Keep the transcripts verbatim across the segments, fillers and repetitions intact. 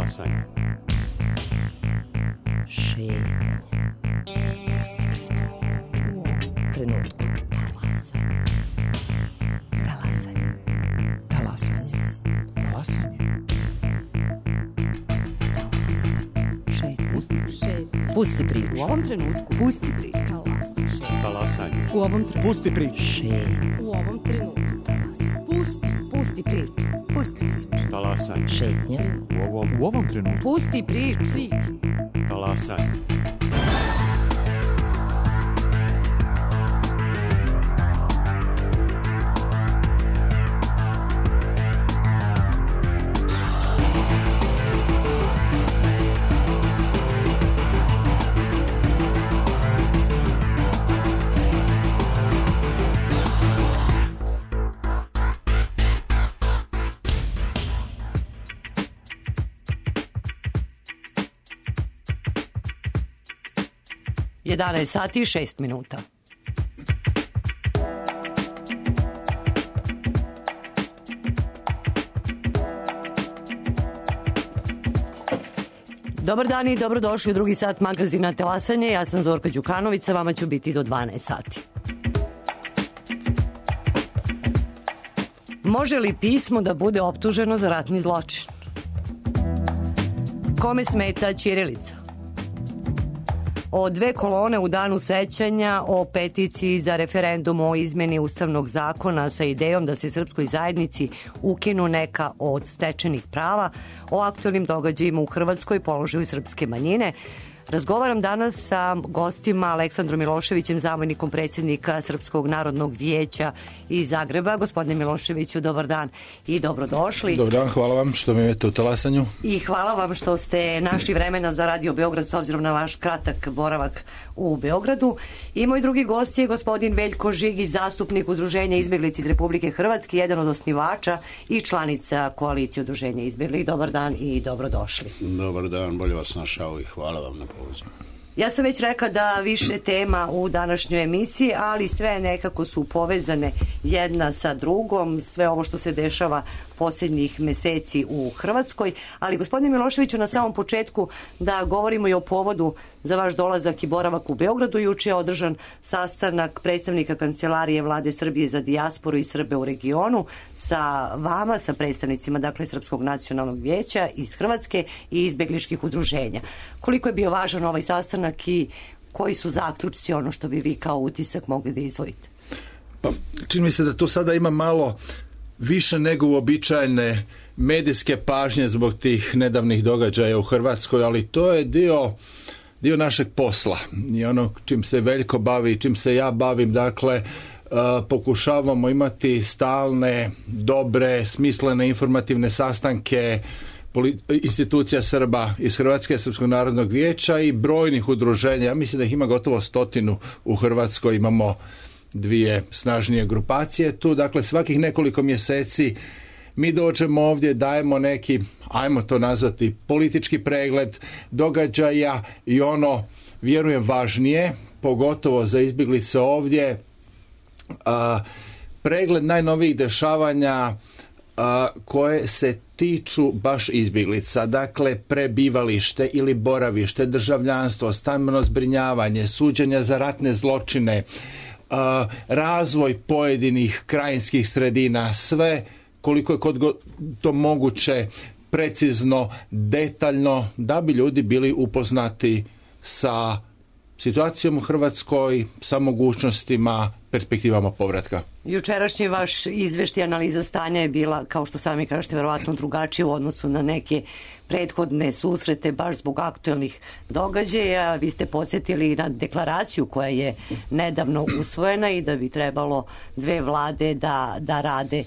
Talasanje. Šetnja. Pusti priču. U ovom trenutku. Talasanje. Talasanje. Talasanje. Talasanje. Šetnja. Pusti priču. U ovom trenutku. Pusti priču. Talasanje. U ovom trenutku. Pusti priču. Šetnja. U ovom trenutku. Pusti. Pusti priču. Pusti priču. Talasanje. Šetnja. U ovom, U ovom trenutku. Pusti priču. Priču. talasanje. jedanaest sati i šest minuta. Dobar dan i dobrodošli u drugi sat magazina Talasanje. Ja sam Zorka Đukanović, sa vama ću biti do dvanaest sati. Može li pismo da bude optuženo za ratni zločin? Kome smeta ćirilica? O dve kolone u danu sećanja, o peticiji za referendum o izmeni ustavnog zakona sa idejom da se srpskoj zajednici ukinu neka od stečenih prava, o aktualnim događajima u Hrvatskoj, položaju srpske manjine. Razgovaram danas sa gostima Aleksandrom Miloševićem, zamjenikom predsjednika Srpskog narodnog vijeća iz Zagreba. Gospodine Miloševiću, dobar dan i dobrodošli. Dobar dan, hvala vam što me imate u Talasanju. I hvala vam što ste našli vremena za Radio Beograd s obzirom na vaš kratak boravak u Beogradu. I moj drugi gost je gospodin Veljko Žigić, zastupnik Udruženja izbjeglica iz Republike Hrvatske, jedan od osnivača i članica koalicije Udruženja izbjeglih. Dobar dan i dobrodošli. Dobar dan, bolje vas našao i hvala vam na pozivu. Ja sam već rekla da više tema u današnjoj emisiji, ali sve nekako su povezane jedna sa drugom, sve ovo što se dešava posljednjih meseci u Hrvatskoj. Ali gospodine Miloševiću, na samom početku da govorimo i o povodu za vaš dolazak i boravak u Beogradu. Juče je održan sastanak predstavnika Kancelarije Vlade Srbije za dijasporu i Srbe u regionu sa vama, sa predstavnicima dakle Srpskog nacionalnog vijeća iz Hrvatske i izbjegličkih udruženja. Koliko je bio važan ovaj sastanak i koji su zaključci, ono što bi vi kao utisak mogli da izdvojite? Pa, čini mi se da to sada ima malo više nego uobičajene medijske pažnje zbog tih nedavnih događaja u Hrvatskoj, ali to je dio, dio našeg posla i ono čim se Veljko bavi, čim se ja bavim, dakle uh, pokušavamo imati stalne, dobre, smislene, informativne sastanke institucija Srba iz Hrvatske, Srpskog narodnog vijeća i brojnih udruženja. Ja mislim da ih ima gotovo stotinu u Hrvatskoj, imamo dvije snažnije grupacije tu, dakle svakih nekoliko mjeseci mi dođemo ovdje, dajemo neki, ajmo to nazvati, politički pregled događaja i ono, vjerujem, važnije, pogotovo za izbjeglice ovdje, a, pregled najnovijih dešavanja a, koje se tiču baš izbjeglica, dakle prebivalište ili boravište, državljanstvo, stambeno zbrinjavanje, suđenja za ratne zločine, Uh, razvoj pojedinih krajinskih sredina, sve koliko je kod to moguće precizno, detaljno, da bi ljudi bili upoznati sa situacijom u Hrvatskoj, sa mogućnostima, perspektivama povratka. Jučerašnji vaš izveštaj, analiza stanja je bila, kao što sami kažete, verovatno drugačije u odnosu na neke prethodne susrete baš zbog aktualnih događaja. Vi ste podsjetili na deklaraciju koja je nedavno usvojena i da bi trebalo dve vlade da, da rade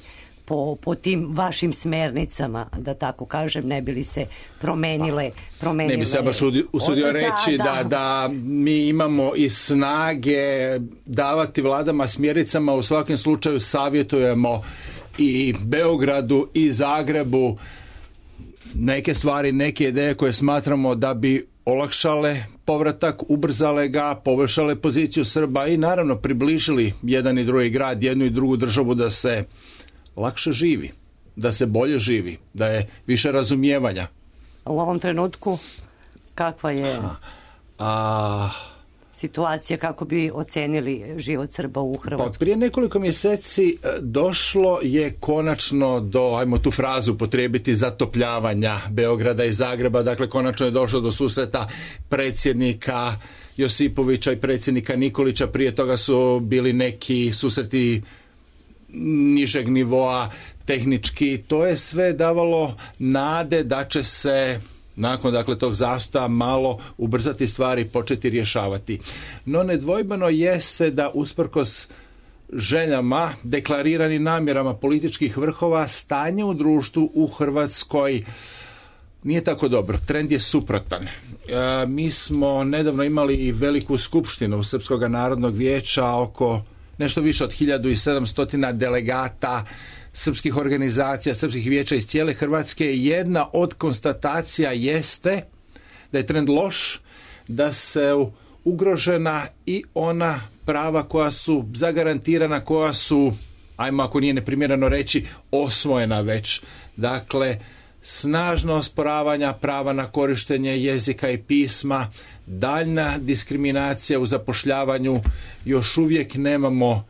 po, po tim vašim smernicama, da tako kažem, ne bi li se promenile, promenile... Ne bi se baš usudio reći da, da. Da, da mi imamo i snage davati vladama smjernicama, u svakom slučaju savjetujemo i Beogradu i Zagrebu neke stvari, neke ideje koje smatramo da bi olakšale povratak, ubrzale ga, poboljšale poziciju Srba i naravno približili jedan i drugi grad, jednu i drugu državu da se lakše živi, da se bolje živi, da je više razumijevanja. u ovom trenutku? Kakva je A... situacija, kako bi ocenili život Srba u Hrvatskoj? Pa prije nekoliko mjeseci došlo je konačno do, ajmo tu frazu potrebiti, zatopljavanja Beograda i Zagreba. Dakle, konačno je došlo do susreta predsjednika Josipovića i predsjednika Nikolića. Prije toga su bili neki susreti nižeg nivoa, tehnički. To je sve davalo nade da će se nakon dakle tog zastoja malo ubrzati stvari, početi rješavati. No nedvojbeno jeste da usprkos željama, deklariranim namjerama političkih vrhova, stanje u društvu u Hrvatskoj nije tako dobro. Trend je suprotan. E, mi smo nedavno imali i veliku skupštinu Srpskog narodnog vijeća, oko nešto više od hiljadu sedamsto delegata srpskih organizacija, srpskih vijeća iz cijele Hrvatske. Jedna od konstatacija jeste da je trend loš, da se ugrožena i ona prava koja su zagarantirana, koja su, ajmo ako nije neprimjereno reći, osvojena već. Dakle, snažno osporavanja prava na korištenje jezika i pisma, daljna diskriminacija u zapošljavanju, još uvijek nemamo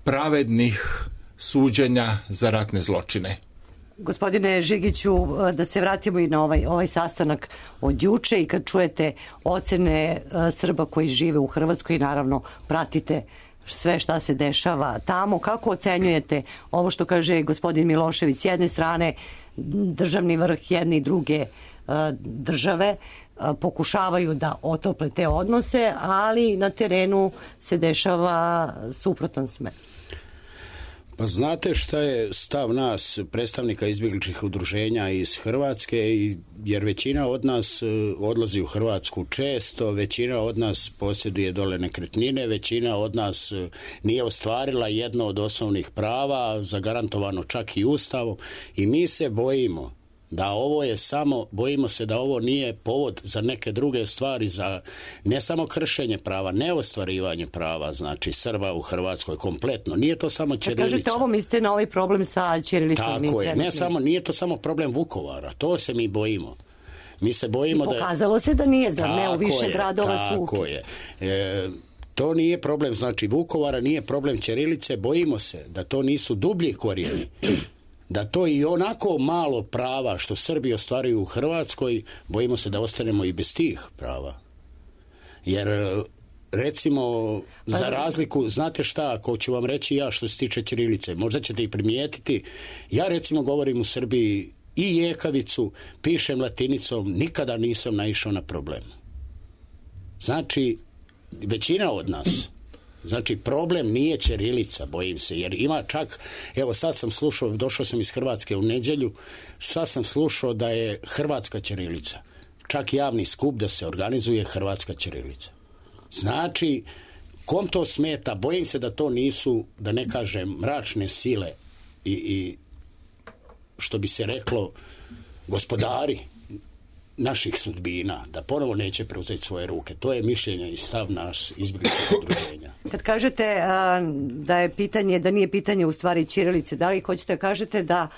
pravednih suđenja za ratne zločine. Gospodine Žigiću, da se vratimo i na ovaj, ovaj sastanak od juče i kad čujete ocene Srba koji žive u Hrvatskoj i naravno pratite sve šta se dešava tamo, kako ocenjujete ovo što kaže gospodin Milošević? S jedne strane državni vrh jedne i druge države pokušavaju da otople te odnose, ali na terenu se dešava suprotan smer. Pa znate šta je stav nas, predstavnika izbjegličkih udruženja iz Hrvatske, jer većina od nas odlazi u Hrvatsku često, većina od nas posjeduje dole nekretnine, većina od nas nije ostvarila jedno od osnovnih prava, zagarantovano čak i Ustavom, i mi se bojimo da ovo je samo, bojimo se da ovo nije povod za neke druge stvari, za ne samo kršenje prava, ne ostvarivanje prava, znači Srba u Hrvatskoj kompletno. Nije to samo ćirilica. Kažete ovo, mislite na ovaj problem sa ćirilicom? Tako je, ne samo, nije to samo problem Vukovara, to se mi bojimo. Mi se bojimo da... I pokazalo se da nije, za ne u više gradova su. Tako je. E, to nije problem, znači Vukovara, nije problem ćirilice, bojimo se da to nisu dublji korijeni. Da to i onako malo prava što Srbi ostvaruju u Hrvatskoj, bojimo se da ostanemo i bez tih prava. Jer recimo, za razliku, znate šta, ako ću vam reći ja što se tiče ćirilice, možda ćete i primijetiti, ja recimo govorim u Srbiji i jekavicu, pišem latinicom, nikada nisam naišao na problem. Znači, većina od nas, znači problem nije ćirilica, bojim se, jer ima čak, evo sad sam slušao, došao sam iz Hrvatske u nedjelju, sad sam slušao da je hrvatska ćirilica, čak javni skup da se organizuje hrvatska ćirilica. Znači, kom to smeta, bojim se da to nisu, da ne kažem, mračne sile i, i što bi se reklo, gospodari naših sudbina, da ponovo neće preuzeti svoje ruke. To je mišljenje i stav naš izbjegličkog udruženja. Kad kažete a, da je pitanje, da nije pitanje u stvari ćirilice, da li hoćete kažete da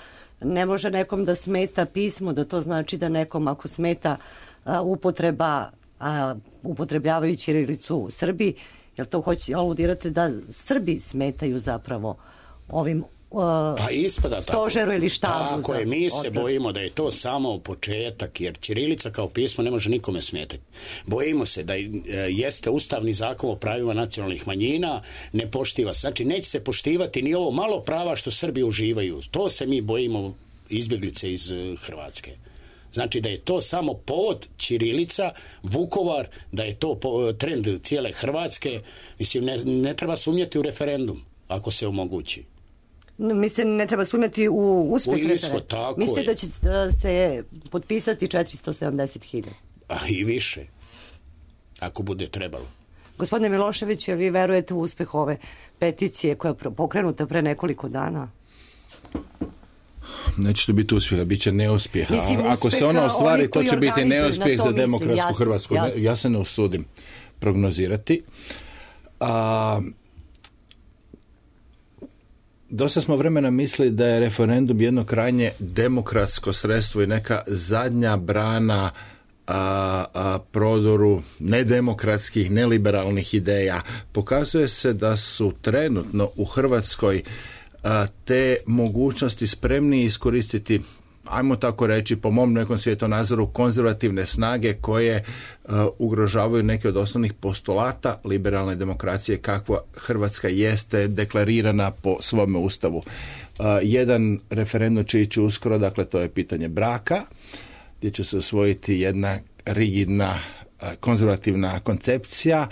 ne može nekom da smeta pismo, da to znači da nekom ako smeta a, upotreba, a, upotrebljavaju ćirilicu Srbi, jel to hoće aludirate da Srbi smetaju zapravo ovim pa ispada stožeru tako. Ili štabu. Tako je, mi se bojimo da je to samo početak, jer ćirilica kao pismo ne može nikome smetati. Bojimo se da jeste ustavni zakon o pravima nacionalnih manjina, ne poštiva se. Znači, neće se poštivati ni ovo malo prava što Srbi uživaju. To se mi bojimo, izbjeglice iz Hrvatske. Znači da je to samo povod ćirilica, Vukovar, da je to trend cijele Hrvatske. Mislim, ne, ne treba sumnjati u referendum, ako se omogući. Mislim, ne treba sumnjati u uspjeh referenduma. Mislim da će se potpisati četiristo sedamdeset hiljada. A i više, ako bude trebalo. Gospodine Milošević, jel vi verujete u uspjeh ove peticije koja je pokrenuta pre nekoliko dana? Neće to biti uspjeha, bit će neuspjeha. Mislim, ako se ono ostvari, to će biti neuspjeh za demokratsku jasno, Hrvatsku. Jasno. Ja se ne usudim prognozirati. A, dosta smo vremena mislili da je referendum jedno krajnje demokratsko sredstvo i neka zadnja brana a, a, prodoru nedemokratskih, neliberalnih ideja. Pokazuje se da su trenutno u Hrvatskoj a, te mogućnosti spremni iskoristiti, ajmo tako reći, po mom nekom svjetonazoru, konzervativne snage koje uh, ugrožavaju neke od osnovnih postulata liberalne demokracije kakva Hrvatska jeste deklarirana po svome ustavu. Uh, jedan referendum će ići uskoro, dakle to je pitanje braka, gdje će se osvojiti jedna rigidna uh, konzervativna koncepcija,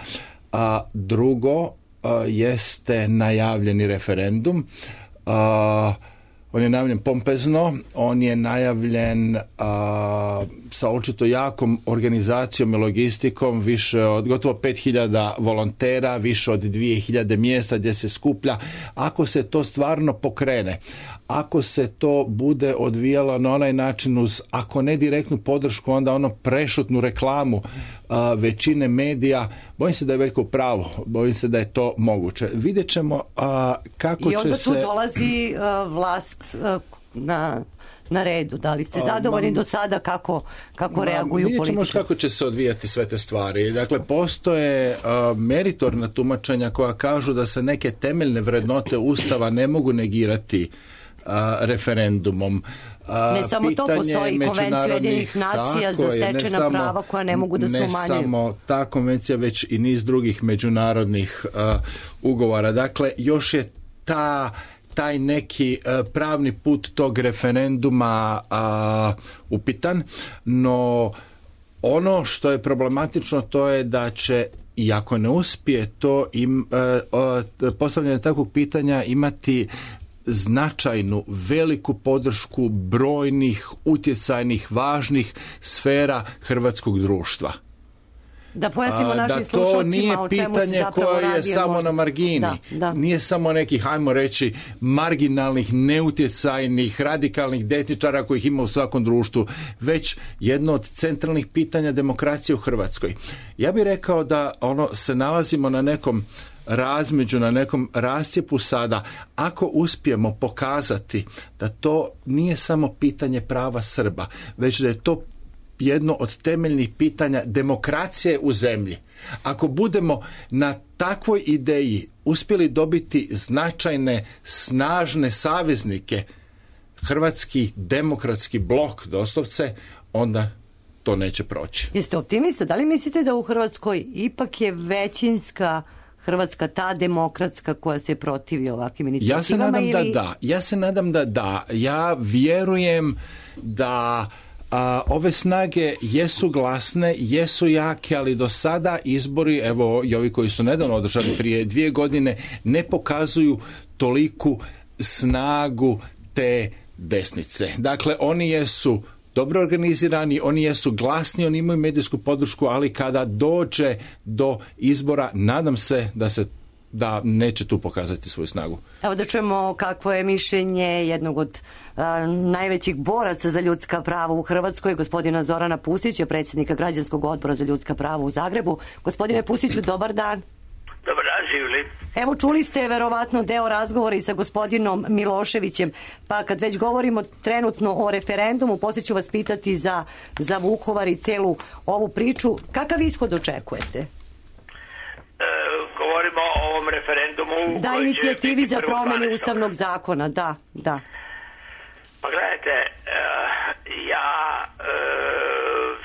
a drugo uh, jeste najavljeni referendum. Uh, On je najavljen pompezno, on je najavljen a, sa očito jakom organizacijom i logistikom, više od gotovo pet hiljada volontera, više od dvije hiljade mjesta gdje se skuplja. Ako se to stvarno pokrene, ako se to bude odvijalo na onaj način uz, ako ne direktnu podršku, onda ono prešutnu reklamu a, većine medija, bojim se da je Veljko u pravu, bojim se da je to moguće. Vidjet ćemo a, kako će se... I onda tu dolazi a, vlast a, na... na redu. Da li ste zadovoljni do sada kako, kako ma, reaguju politike? Vidjet ćemo kako će se odvijati sve te stvari. Dakle, postoje uh, meritorna tumačenja koja kažu da se neke temeljne vrednote Ustava ne mogu negirati uh, referendumom. Uh, ne samo to, postoji konvencija Ujedinjenih nacija za stečena samo, prava koja ne mogu da se umanjuju. Ne samo ta konvencija, već i niz drugih međunarodnih uh, ugovora. Dakle, još je ta taj neki uh, pravni put tog referenduma uh, upitan, no ono što je problematično to je da će, i ako ne uspije to im, uh, uh, postavljanje takvog pitanja imati značajnu, veliku podršku brojnih, utjecajnih, važnih sfera hrvatskog društva. Da pojasnimo našim slušalcima o čemu se zapravo radi. Da to nije pitanje koje je samo možda na margini. Da, da. Nije samo nekih, hajmo reći, marginalnih, neutjecajnih, radikalnih desničara kojih ima u svakom društvu, već jedno od centralnih pitanja demokracije u Hrvatskoj. Ja bih rekao da ono se nalazimo na nekom razmeđu, na nekom rascjepu sada, ako uspijemo pokazati da to nije samo pitanje prava Srba, već da je to jedno od temeljnih pitanja demokracije u zemlji. Ako budemo na takvoj ideji uspjeli dobiti značajne, snažne saveznike, hrvatski demokratski blok doslovce, onda to neće proći. Jeste optimista? Da li mislite da u Hrvatskoj ipak je većinska Hrvatska ta demokratska koja se protivi ovakvim inicijativama? Ja se nadam ili... da da. Ja se nadam da da. Ja vjerujem da a, ove snage jesu glasne, jesu jake, ali do sada izbori, evo i ovi koji su nedavno održani prije dvije godine, ne pokazuju toliku snagu te desnice. Dakle, oni jesu dobro organizirani, oni jesu glasni, oni imaju medijsku podršku, ali kada dođe do izbora, nadam se da se da neće tu pokazati svoju snagu. Evo da čujemo kakvo je mišljenje jednog od a, najvećih boraca za ljudska prava u Hrvatskoj, gospodina Zorana Pusića, predsjednika Građanskog odbora za ljudska prava u Zagrebu. Gospodine Pusiću, dobar dan. Dobar dan, živjeli. Evo, čuli ste verovatno deo razgovora i sa gospodinom Miloševićem, pa kad već govorimo trenutno o referendumu, poslije ću vas pitati za, za Vukovar i celu ovu priču. Kakav ishod očekujete? E, govorimo o ovom referendumu... Da, inicijativi za promjenu ustavnog zakona, da, da. Pa gledajte, e, ja e,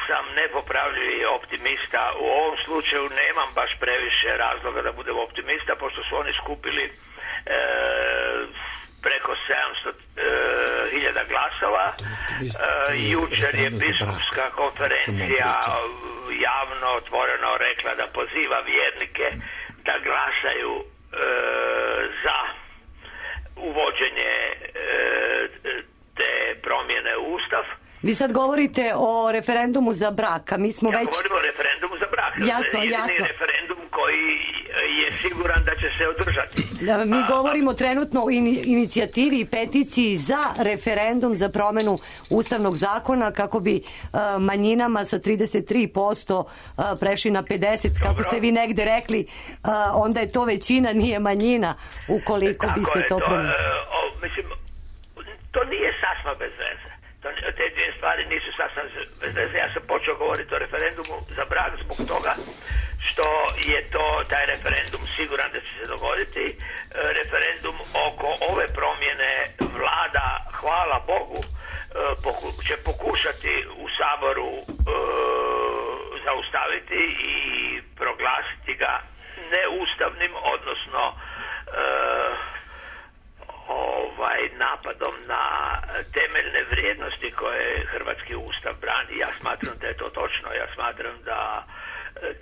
sam nepopravljivi optimista. U ovom slučaju nemam baš previše razloga da budem optimista, pošto su oni skupili e, preko sedamsto hiljada glasova. E, jučer je biskupska konferencija javno otvoreno rekla da poziva vjernike da glasaju e, za uvođenje e, te promjene u Ustav. Vi sad govorite o referendumu za brak, a mi smo ja već... Ja govorim o referendumu za brak. Jasno, jedini jasno. referendum koji je siguran da će se održati. Da, mi govorimo trenutno o ini- inicijativi i peticiji za referendum za promenu ustavnog zakona kako bi uh, manjinama sa trideset tri posto uh, prešli na pedeset, kako Dobro. ste vi negde rekli, uh, onda je to većina, nije manjina, ukoliko bi Tako se je, to promenilo. e, o, mislim, to nije sasma bez veze. To, te dvije stvari nisu sasma bez veze. Ja sam počeo govoriti o referendumu za brak zbog toga što je to, taj referendum siguran da će se dogoditi. E, referendum oko ove promjene vlada, hvala Bogu, e, poku, će pokušati u Saboru e, zaustaviti i proglasiti ga neustavnim, odnosno e, ovaj napadom na temeljne vrijednosti koje hrvatski ustav brani. Ja smatram da je to točno. Ja smatram da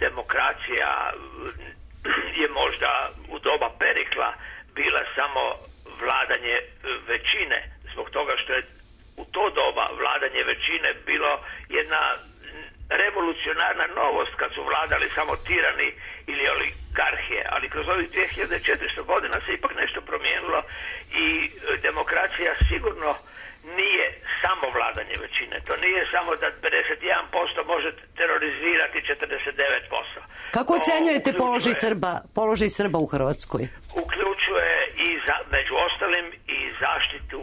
demokracija je možda u doba Perikla bila samo vladanje većine, zbog toga što je u to doba vladanje većine bilo jedna revolucionarna novost kad su vladali samo tirani ili oligarhije, ali kroz ovih dvije hiljade četiristo godina se ipak nešto promijenilo i demokracija sigurno nije samo vladanje većine. To nije samo da pedeset jedan posto može terorizirati četrdeset devet posto. Kako ocenjujete položaj Srba, položaj Srba u Hrvatskoj? Uključuje i za, među ostalim i zaštitu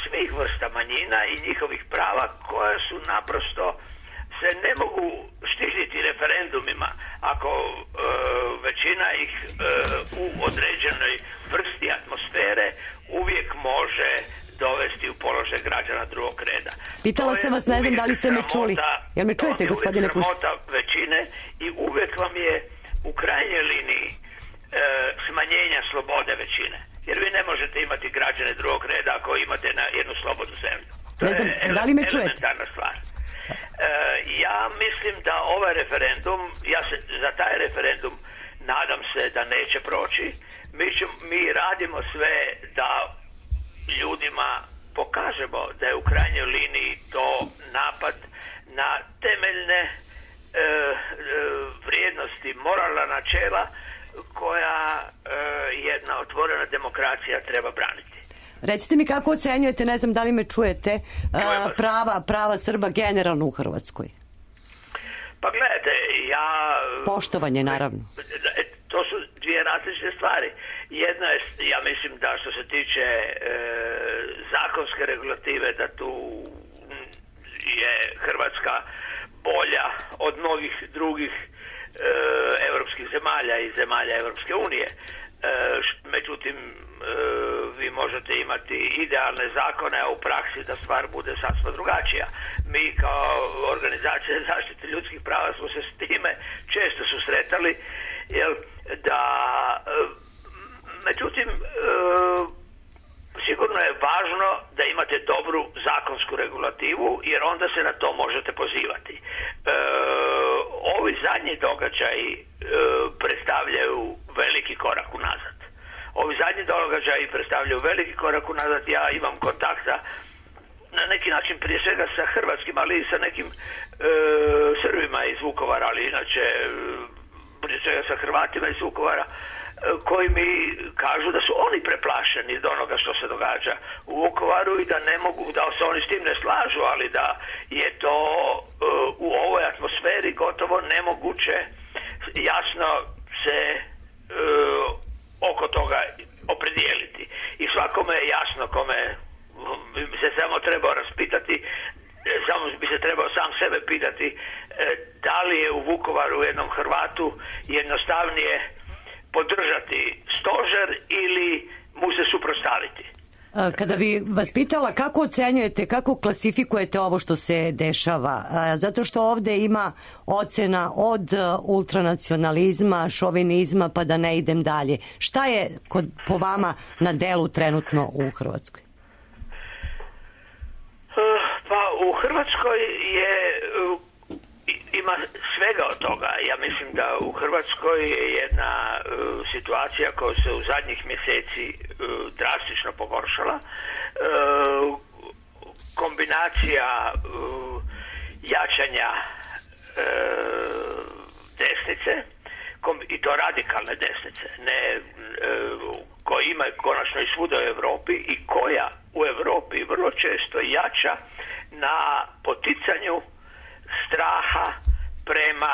svih vrsta manjina i njihovih prava koja su naprosto se ne mogu štititi referendumima ako e, većina ih e, u određenoj vrsti atmosfere uvijek može dovesti u položaj građana drugog reda. Pitala sam vas, ne znam da li ste me čuli. Jel me čujete, gospodine Kuš? To je uvijek sramota većine i uvijek vam je u krajnjoj liniji e, smanjenja slobode većine. Jer vi ne možete imati građane drugog reda ako imate na jednu slobodnu zemlju. To ne znam, je da li me čujete? elementarna stvar. E, ja mislim da ovaj referendum, ja se za taj referendum nadam se da neće proći. Mi, ću, mi radimo sve da ljudima pokažemo da je u krajnjoj liniji to napad na temeljne e, e, vrijednosti, moralna načela koja e, jedna otvorena demokracija treba braniti. Recite mi kako ocenjujete, ne znam da li me čujete, uh, prava, prava Srba generalno u Hrvatskoj? Pa gledajte, ja... Poštovanje, naravno. To su dvije različite stvari. Jedna je, ja mislim da što se tiče e, zakonske regulative, da tu je Hrvatska bolja od mnogih drugih e, evropskih zemalja i zemalja Evropske unije. E, međutim, e, vi možete imati idealne zakone, a u praksi da stvar bude sasvim drugačija. Mi kao organizacija zaštite ljudskih prava smo se s time često susretali, jel, da e, međutim e, sigurno je važno da imate dobru zakonsku regulativu, jer onda se na to možete pozivati. E, ovi zadnji događaji e, predstavljaju veliki korak unazad. Ovi zadnji događaji predstavljaju veliki korak unazad. Ja imam kontakta na neki način prije svega sa hrvatskim, ali i sa nekim e, Srbima iz Vukovara, ali inače prije svega sa Hrvatima iz Vukovara, koji mi kažu da su oni preplašeni od onoga što se događa u Vukovaru i da ne mogu, da se oni s tim ne slažu, ali da je to uh, u ovoj atmosferi gotovo nemoguće jasno se uh, oko toga opredijeliti. I svakome je jasno, kome bi se samo trebao raspitati, samo bi se trebao sam sebe pitati da li je u Vukovaru jednom Hrvatu jednostavnije podržati stožer ili mu se suprotstaviti. Kada bi vas pitala kako ocenjujete, kako klasifikujete ovo što se dešava, zato što ovde ima ocena od ultranacionalizma, šovinizma, pa da ne idem dalje. Šta je kod, po vama na delu trenutno u Hrvatskoj? Pa u Hrvatskoj je ima svega od toga. Ja mislim da u Hrvatskoj je jedna uh, situacija koja se u zadnjih mjeseci uh, drastično pogoršala. Uh, kombinacija uh, jačanja uh, desnice, i to radikalne desnice, ne, e, koja ima konačno i svuda u Europi i koja u Europi vrlo često jača na poticanju straha prema,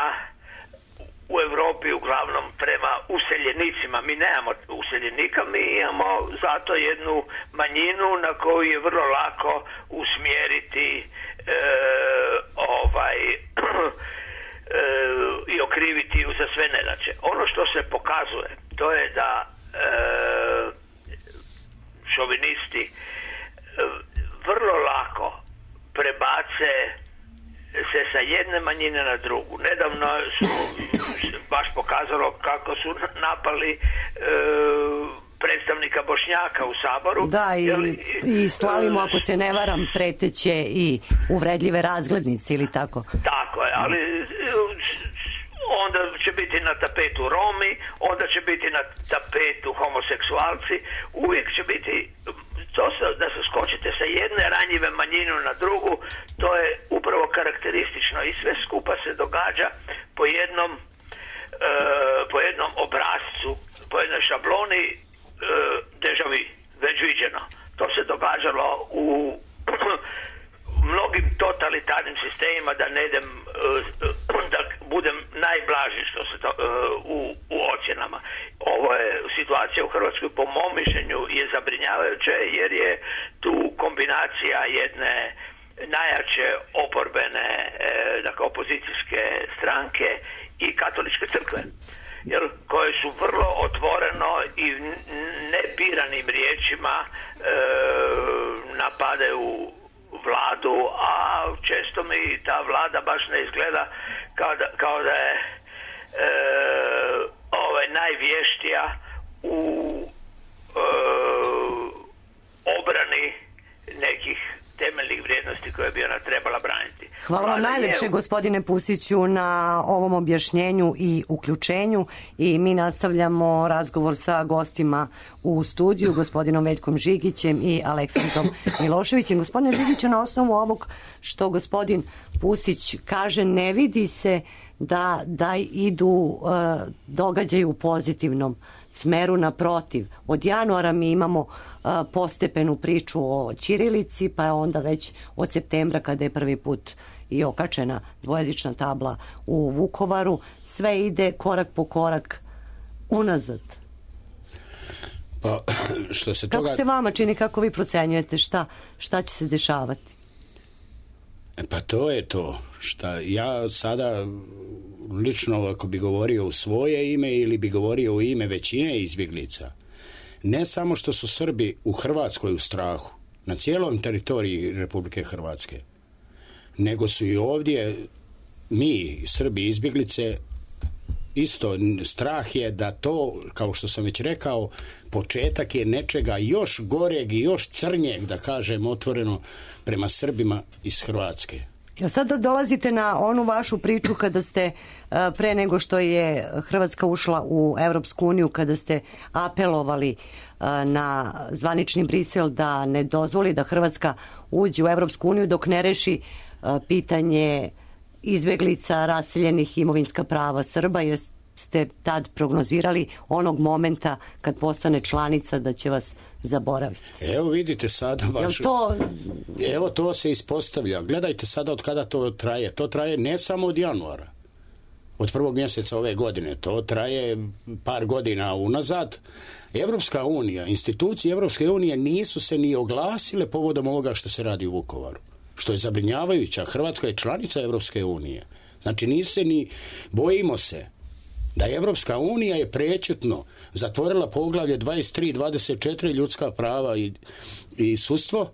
u Europi uglavnom prema useljenicima. Mi nemamo useljenika, mi imamo zato jednu manjinu na koju je vrlo lako usmjeriti e, ovaj i okriviti ju za sve nedaće. Ono što se pokazuje, to je da e, šovinisti e, vrlo lako prebace se sa jedne manjine na drugu. Nedavno su baš pokazalo kako su napali e, predstavnika Bošnjaka u Saboru. Da, i, i slali mu, ako se ne varam, preteće i uvredljive razglednice ili tako. Tako je, ali onda će biti na tapetu Romi, onda će biti na tapetu homoseksualci, uvijek će biti to da se skočite sa jedne ranjive manjine na drugu, to je upravo karakteristično i sve skupa se događa po jednom e, po jednom obrascu, po jednoj šabloni e, deja vu, već viđeno. To se događalo u mnogim totalitarnim sistemima, da ne idem, da budem najblaži što se to, u, u ocjenama. Ovo je situacija u Hrvatskoj, po mom mišljenju, je zabrinjavajuće, jer je tu kombinacija jedne najjače oporbene, dakle opozicijske stranke i katoličke crkve, jer koje su vrlo otvoreno i nebiranim riječima e, napadaju vladu, a često mi ta vlada baš ne izgleda kao da, kao da je e, ovaj, najvještija u e, obrani nekih temeljnih vrijednosti koje bi ona trebala braniti. Hvala vam najljepše, je... gospodine Pusiću, na ovom objašnjenju i uključenju, i mi nastavljamo razgovor sa gostima u studiju, gospodinom Veljkom Žigićem i Aleksandrom Miloševićem. Gospodine Žigiću, na osnovu ovog što gospodin Pusić kaže, ne vidi se da, da idu uh, događaji u pozitivnom smeru, naprotiv. Od januara mi imamo uh, postepenu priču o ćirilici, pa je onda već od septembra, kada je prvi put i okačena dvojezična tabla u Vukovaru, sve ide korak po korak unazad. Pa, što se toga... Kako se vama čini, kako vi procenjujete šta, šta će se dešavati? Pa to je to. Šta ja sada lično, ako bi govorio u svoje ime ili bi govorio u ime većine izbjeglica, ne samo što su Srbi u Hrvatskoj u strahu, na cijelom teritoriji Republike Hrvatske, nego su i ovdje mi, Srbi izbjeglice, isto strah je da to, kao što sam već rekao, početak je nečega još goreg i još crnjeg, da kažem otvoreno, prema Srbima iz Hrvatske. Ja sad dolazite na onu vašu priču kada ste, pre nego što je Hrvatska ušla u Europsku uniju, kada ste apelovali na zvanični Brisel da ne dozvoli da Hrvatska uđe u Europsku uniju dok ne reši pitanje izbjeglica, raseljenih, imovinska prava Srba, jer ste tad prognozirali onog momenta kad postane članica da će vas zaboraviti. Evo vidite sada vaš... to... Evo to se ispostavlja. Gledajte sada od kada to traje. To traje ne samo od januara, od prvog mjeseca ove godine. To traje par godina unazad. Evropska unija, institucije Evropske unije nisu se ni oglasile povodom ovoga što se radi u Vukovaru, što je zabrinjavajuća. Hrvatska je članica Evropske unije. Znači nisu se ni... Bojimo se da Evropska unija je prečutno zatvorila poglavlje dvadeset tri dvadeset četiri ljudska prava i, i sudstvo,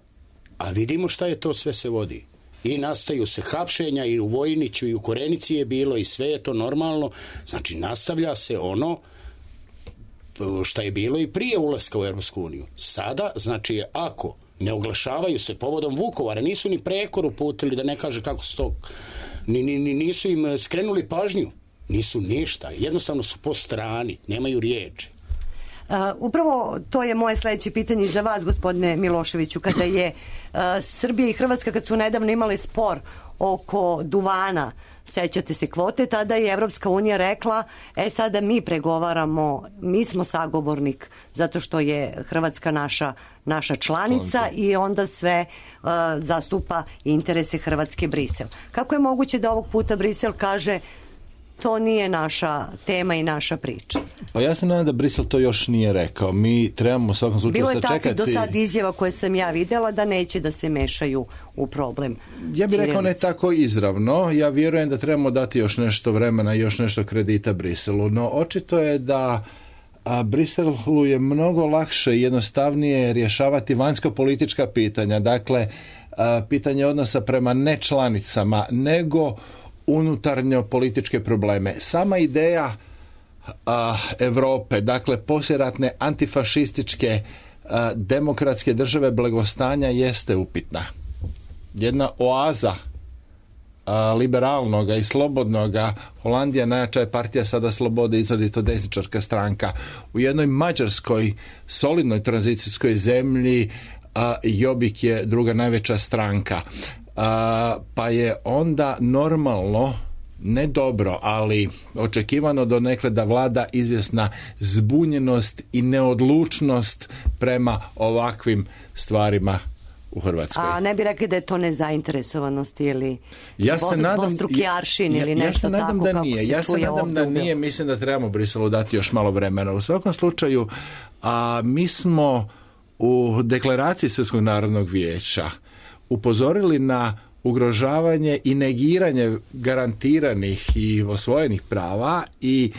a vidimo šta je to sve se vodi. I nastaju se hapšenja i u Vojniću i u Korenici je bilo i sve je to normalno. Znači nastavlja se ono šta je bilo i prije ulaska u Evropsku uniju. Sada, znači ako ne oglašavaju se povodom Vukovara, nisu ni prekor uputili, da ne kaže kako su to, ni, ni, nisu im skrenuli pažnju. Nisu ništa, jednostavno su po strani, nemaju riječi. Uh, upravo to je moje sledeće pitanje za vas, gospodine Miloševiću, kada je uh, Srbija i Hrvatska, kad su nedavno imale spor oko duvana, sećate se kvote, tada je Evropska unija rekla, e sada mi pregovaramo, mi smo sagovornik zato što je Hrvatska naša, naša članica Članka. I onda sve uh, zastupa interese Hrvatske Brisel. Kako je moguće da ovog puta Brisel kaže to nije naša tema i naša priča? Pa ja se nadam da Brisel to još nije rekao. Mi trebamo u svakom slučaju sačekati. Bilo je takvih do sad izjava koje sam ja vidjela da neće da se mešaju u problem. Ja bih rekao ne tako izravno. Ja vjerujem da trebamo dati još nešto vremena i još nešto kredita Briselu. No očito je da a Briselu je mnogo lakše i jednostavnije rješavati vanjsko-politička pitanja. Dakle, a, pitanje odnosa prema nečlanicama, nego unutarnjo političke probleme. Sama ideja a, Europe, dakle poslijeratne antifašističke a, demokratske države blagostanja jeste upitna. Jedna oaza a, liberalnoga i slobodnoga, Holandija najjača je partija sada slobode, izrazito desničarska stranka. U jednoj Mađarskoj solidnoj tranzicijskoj zemlji a, Jobbik je druga najveća stranka. A, pa je onda normalno, ne dobro, ali očekivano donekle da vlada izvjesna zbunjenost i neodlučnost prema ovakvim stvarima u Hrvatskoj. A ne bi rekli da je to nezainteresovanost ili ja se nadam, dvostruki aršin ili ja, nešto ja se nadam tako da nije. Ja se nadam da nije. Mislim da trebamo Briselu dati još malo vremena. U svakom slučaju, a, mi smo u deklaraciji Srpskog narodnog vijeća upozorili na ugrožavanje i negiranje garantiranih i osvojenih prava i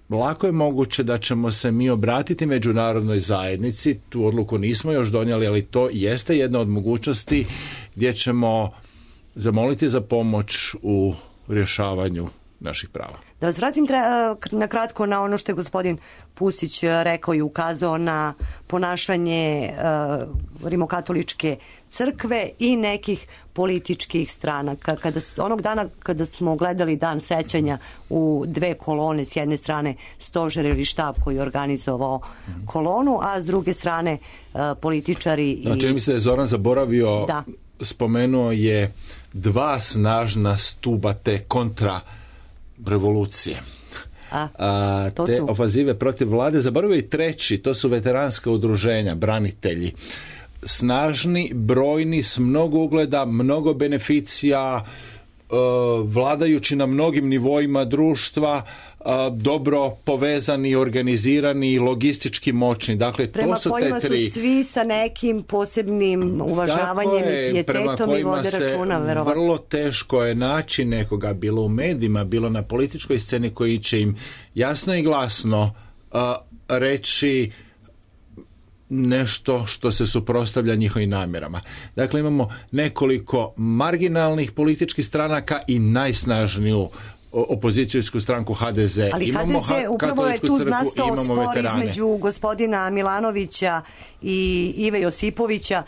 lako je moguće da ćemo se mi obratiti međunarodnoj zajednici. Tu odluku nismo još donijeli, ali to jeste jedna od mogućnosti gdje ćemo zamoliti za pomoć u rješavanju naših prava. Da vas vratim na kratko na ono što je gospodin Pusić rekao i ukazao na ponašanje uh, rimokatoličke crkve i nekih političkih stranaka. Kada, onog dana kada smo gledali dan sećanja u dve kolone, s jedne strane stožer ili štab koji je organizovao mm-hmm. kolonu, a s druge strane uh, političari i... Znači, mi se je Zoran zaboravio, da. spomenuo je dva snažna stuba te kontra revolucije. A, A, to te su... ofazive protiv vlade, zaboravio i treći, to su veteranska udruženja, branitelji. Snažni, brojni, s mnogo ugleda, mnogo beneficija, e, vladajući na mnogim nivoima društva, e, dobro povezani, organizirani, logistički moćni. Dakle, prema to su kojima te tri... su svi sa nekim posebnim uvažavanjem i pijetetom i vode računa, verovatno. Vrlo teško je naći nekoga, bilo u medijima, bilo na političkoj sceni, koji će im jasno i glasno uh, reći nešto što se suprotstavlja njihovim namjerama. Dakle, imamo nekoliko marginalnih političkih stranaka i najsnažniju opozicijsku stranku ha de ze. Ali imamo ha de ze upravo je tu nastao spor veterane. Između gospodina Milanovića i Ive Josipovića,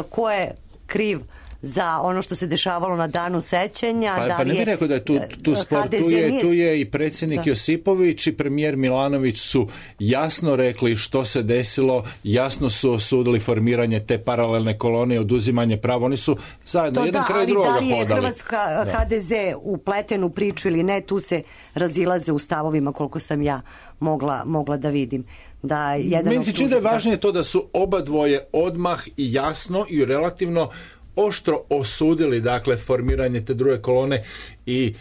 ko je kriv za ono što se dešavalo na danu sećanja. Pa, da pa ne bih rekao da je tu, tu spor, tu je, tu je i predsjednik da. Josipović i premijer Milanović su jasno rekli što se desilo, jasno su osudili formiranje te paralelne kolonije i oduzimanje prava. Oni su zajedno, to jedan da, kraj drugoga hodali. Da li je Hrvatska da. ha de ze upleten u priču ili ne, tu se razilaze u stavovima koliko sam ja mogla, mogla da vidim. Da jedan Meni se čini da je važnije to da su oba dvoje odmah i jasno i relativno oštro osudili, dakle, formiranje te druge kolone i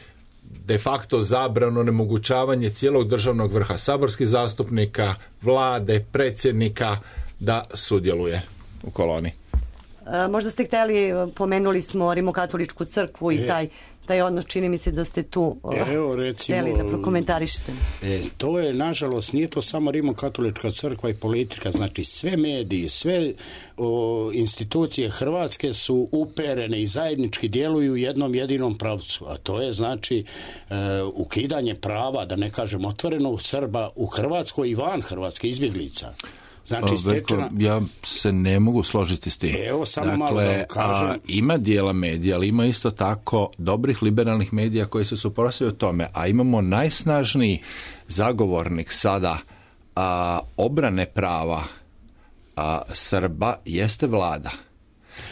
de facto zabrano onemogućavanje cijelog državnog vrha, saborskih zastupnika, vlade, predsjednika da sudjeluje u koloni. E, možda ste htjeli, pomenuli smo Rimokatoličku crkvu i e. taj taj odnos, čini mi se da ste tu Evo, recimo, htjeli da prokomentarišete. E, to je, nažalost, nije to samo Rimokatolička crkva i politika, znači sve mediji, sve o, institucije Hrvatske su uperene i zajednički djeluju u jednom jedinom pravcu, a to je, znači, e, ukidanje prava, da ne kažem otvoreno, Srba u Hrvatskoj i van Hrvatske, izbjeglica. Znači, stečena... Ja se ne mogu složiti s tim. Evo, samo dakle, malo da kažem. A, ima dijela medija, ali ima isto tako dobrih liberalnih medija koji se suprotstavljaju tome, a imamo najsnažniji zagovornik sada a, obrane prava a, Srba jeste vlada.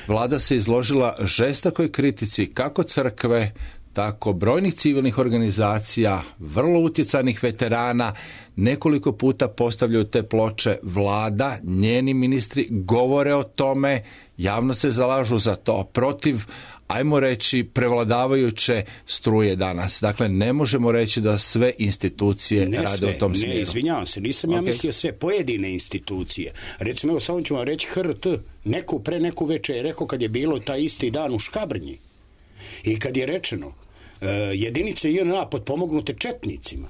Vlada se izložila žestokoj kritici kako crkve, tako brojnih civilnih organizacija, vrlo utjecajnih veterana, nekoliko puta postavljaju te ploče. Vlada, njeni ministri govore o tome, javno se zalažu za to, protiv, ajmo reći, prevladavajuće struje danas. Dakle, ne možemo reći da sve institucije ne rade sve, u tom smjeru. Ne, izvinjavam se, nisam ja okay. mislio sve, pojedine institucije. Recimo, evo samo ću vam reći H R T, neku pre neku večer je rekao kad je bilo taj isti dan u Škabrnji i kad je rečeno uh, jedinice J N A potpomognute četnicima.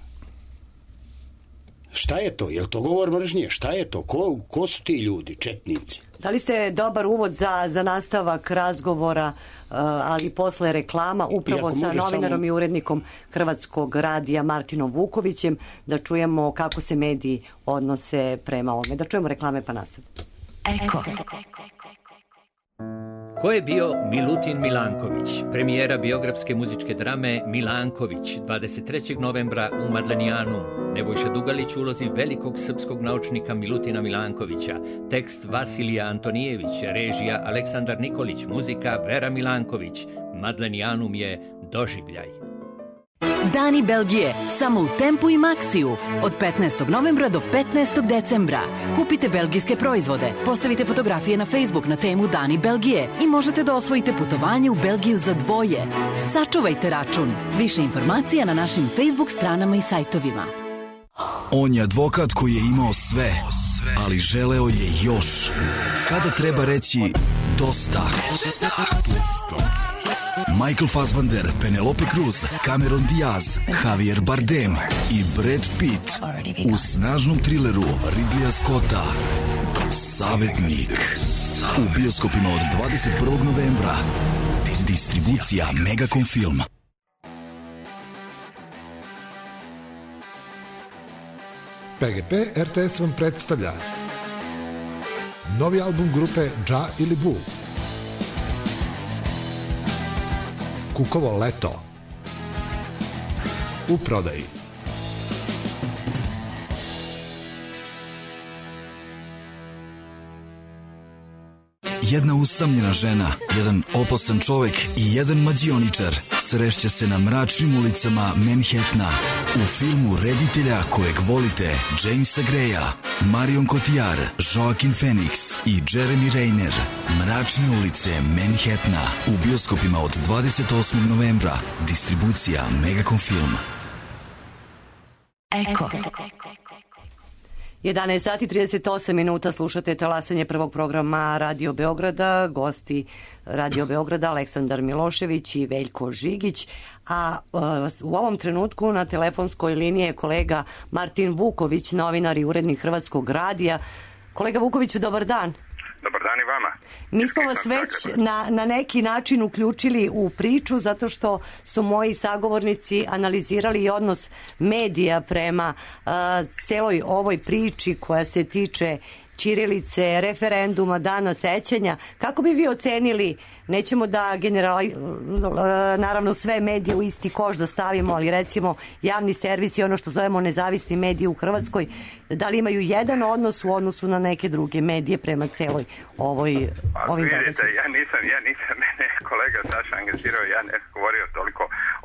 Šta je to? Je li to govor mržnje? Šta je to? Ko, ko su ti ljudi, četnici? Da li ste dobar uvod za, za nastavak razgovora, uh, ali posle reklama, upravo sa novinarom samo... i urednikom Hrvatskog radija Martinom Vukovićem, da čujemo kako se mediji odnose prema ovome. Da čujemo reklame pa nastavimo. Eko. Ko je bio Milutin Milanković, premijera biografske muzičke drame Milanković, dvadeset trećeg novembra u Madlenijanu. Nebojša Dugalić u ulozi velikog srpskog naučnika Milutina Milankovića, tekst Vasilija Antonijević, režija Aleksandar Nikolić, muzika Vera Milanković. Madlenijanum je doživljaj. Dani Belgije, samo u Tempu i Maxiju. Od petnaestog novembra do petnaestog decembra. Kupite belgijske proizvode, postavite fotografije na Facebook na temu Dani Belgije i možete da osvojite putovanje u Belgiju za dvoje. Sačuvajte račun. Više informacija na našim Facebook stranama i sajtovima. On je advokat koji je imao sve, ali želeo je još. Kada treba reći dosta? Michael Fassbender, Penelope Cruz, Cameron Diaz, Javier Bardem i Brad Pitt u snažnom trileru Ridleya Scotta Savetnik u bioskopima od dvadeset prvog novembra. Distribucija Megacom Film. P G P R T S vam predstavlja novi album grupe Dža ili Bu, Kukovo leto, u prodaji. Jedna usamljena žena, jedan opasan čovek i jedan mađioničar srešće se na mračnim ulicama Manhattana u filmu reditelja kojeg volite, Jamesa Greya, Marion Cotillard, Joaquin Phoenix i Jeremy Renner. Mračne ulice Manhattana u bioskopima od dvadeset osmog novembra. Distribucija Megacom Film. Eko. jedanaest sati trideset osam minuta, slušate talasanje prvog programa Radio Beograda, gosti Radio Beograda Aleksandar Milošević i Veljko Žigić, a uh, u ovom trenutku na telefonskoj liniji je kolega Martin Vuković, novinar i urednik Hrvatskog radija. Kolega Vukoviću, dobar dan. Dobar dan i vama. Mi smo vas već na, na neki način uključili u priču zato što su moji sagovornici analizirali i odnos medija prema uh, celoj ovoj priči koja se tiče ćirilice, referenduma, dana sećanja. Kako bi vi ocenili, nećemo da generali, naravno sve medije u isti koš da stavimo, ali recimo javni servis i ono što zovemo nezavisni mediji u Hrvatskoj, da li imaju jedan odnos u odnosu na neke druge medije prema celoj ovoj, ovim događajima? događajima? Ja nisam, ja nisam, mene kolega Saša angažirao, ja ne govorio toliko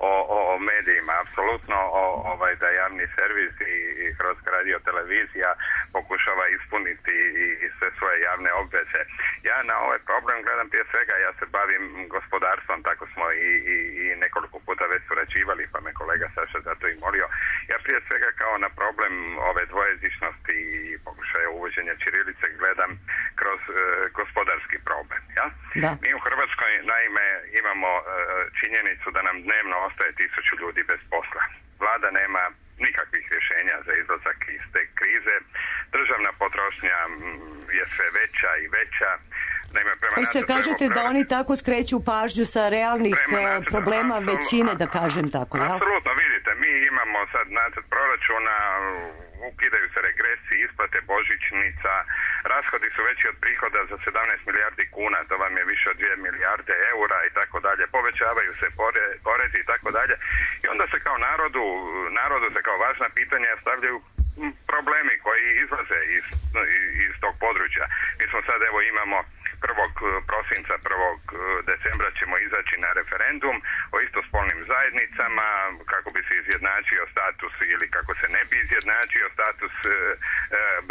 o, o, o medijima, apsolutno o, ovaj, da javni servis i, i Hrvatska radio televizija pokušava ispuniti i, i sve svoje javne obveze. Ja na ovaj problem gledam prije svega, ja se bavim gospodarstvom, tako smo i, i, i nekoliko puta već surađivali, pa me kolega Saša zato i molio. Ja prije svega kao na problem ove dvojezičnosti i pokušaja uvođenja ćirilice gledam kroz e, gospodarski problem. Ja? Da. Mi u Hrvatskoj naime imamo e, činjenicu da nam dnevno ostaje tisuću ljudi bez posla. Vlada nema nikakvih rješenja za izlazak iz te krize. Državna potrošnja je sve veća i veća. Naime, prema Hoćete kažete da oni tako skreću pažnju sa realnih nacrtu, problema absolut, većine, da kažem tako, jel? Apsolutno, vidite, mi imamo sad nacrt proračuna, ukidaju se regresi, isplate božićnica, rashodi su veći od prihoda za sedamnaest milijardi kuna, to vam je više od dvije milijarde eura i tako dalje, povećavaju se porezi i tako dalje. I onda se kao narodu, narodu se kao važna pitanja stavljaju problemi koji izlaze iz, iz tog područja. Mi smo sad, evo, imamo prvog prosinca, prvog decembra ćemo izaći na referendum o istospolnim zajednicama, kako bi se izjednačio status ili kako se ne bi izjednačio status e, e,